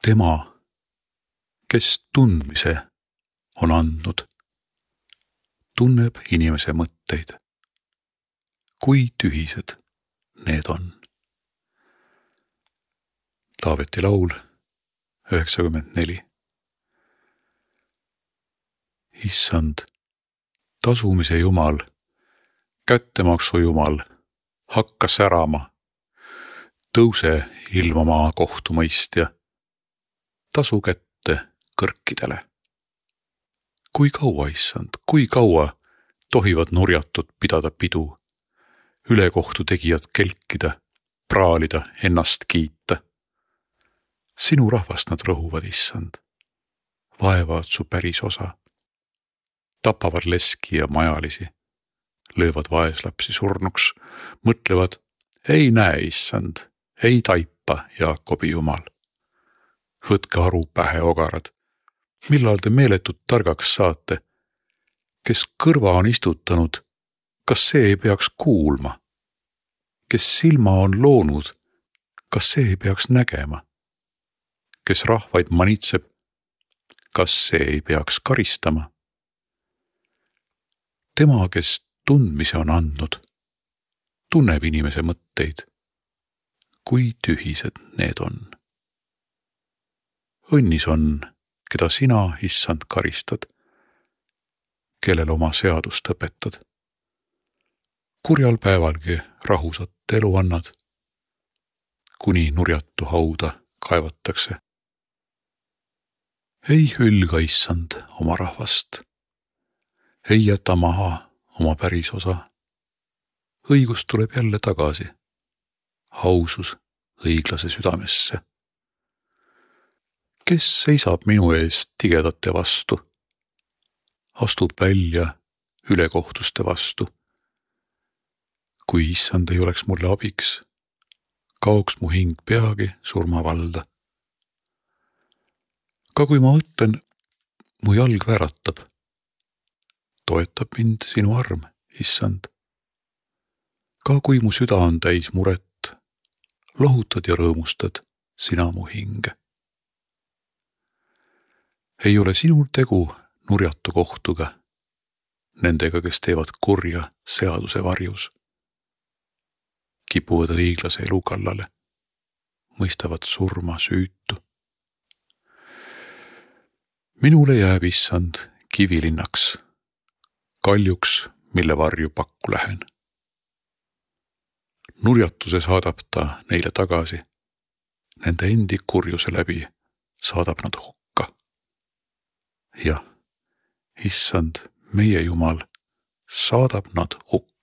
Tema, kes tundmise on andnud, tunneb inimese mõtteid. Kui tühised need on. Taaveti laul 94. Issand, tasumise Jumal, kättemaksu Jumal, hakka särama, tõuse ilma maa kohtumõistja, tasu kätte kõrkidele. Kui kaua, issand, kui kaua tohivad nurjatud pidada pidu, ülekohtu tegijad kelkida, praalida, ennast kiita. Sinu rahvast nad rõhuvad, issand, vaevad su päris osa, tapavad leski ja majalisi, löövad vaeslapsi surnuks, mõtlevad, ei näe, issand, ei taipa, Jaakobi Jumal. Võtke aru pähe, ogarad, millal te meeletut targaks saate, kes kõrva on istutanud, kas see ei peaks kuulma? Kes silma on loonud, kas see ei peaks nägema? Kes rahvaid manitseb, kas see ei peaks karistama? Tema, kes tundmise on andnud, tunneb inimese mõtteid, kui tühised need on. Õnnis on, keda sina, issand, karistad, kellel oma seadust õpetad. Kurjal päevalgi rahusat elu annad, kuni nurjatu hauda kaevatakse. Ei hülga, issand, oma rahvast, ei jäta maha oma päris osa. Õigus tuleb jälle tagasi, ausus õiglase südamesse. Kes seisab minu eest tigedate vastu, astub välja ülekohtuste vastu. Kui issand ei oleks mulle abiks, kaoks mu hing peagi surmavalda. Ka kui ma mõtlen, mu jalg vääratab, toetab mind sinu arm, issand. Ka kui mu süda on täis muret, lohutad ja rõõmustad sina mu hinge. Ei ole sinul tegu nurjatu kohtuga, nendega, kes teevad kurja seaduse varjus. Kipuvad õiglase elu kallale, mõistavad surma süütu. Minule jääb, issand, kivilinnaks, kaljuks, mille varju pakku lähen. Nurjatuse saadab ta neile tagasi, nende endi kurjuse läbi saadab nad hukka. Ja, issand, meie Jumal, saadab nad hukka.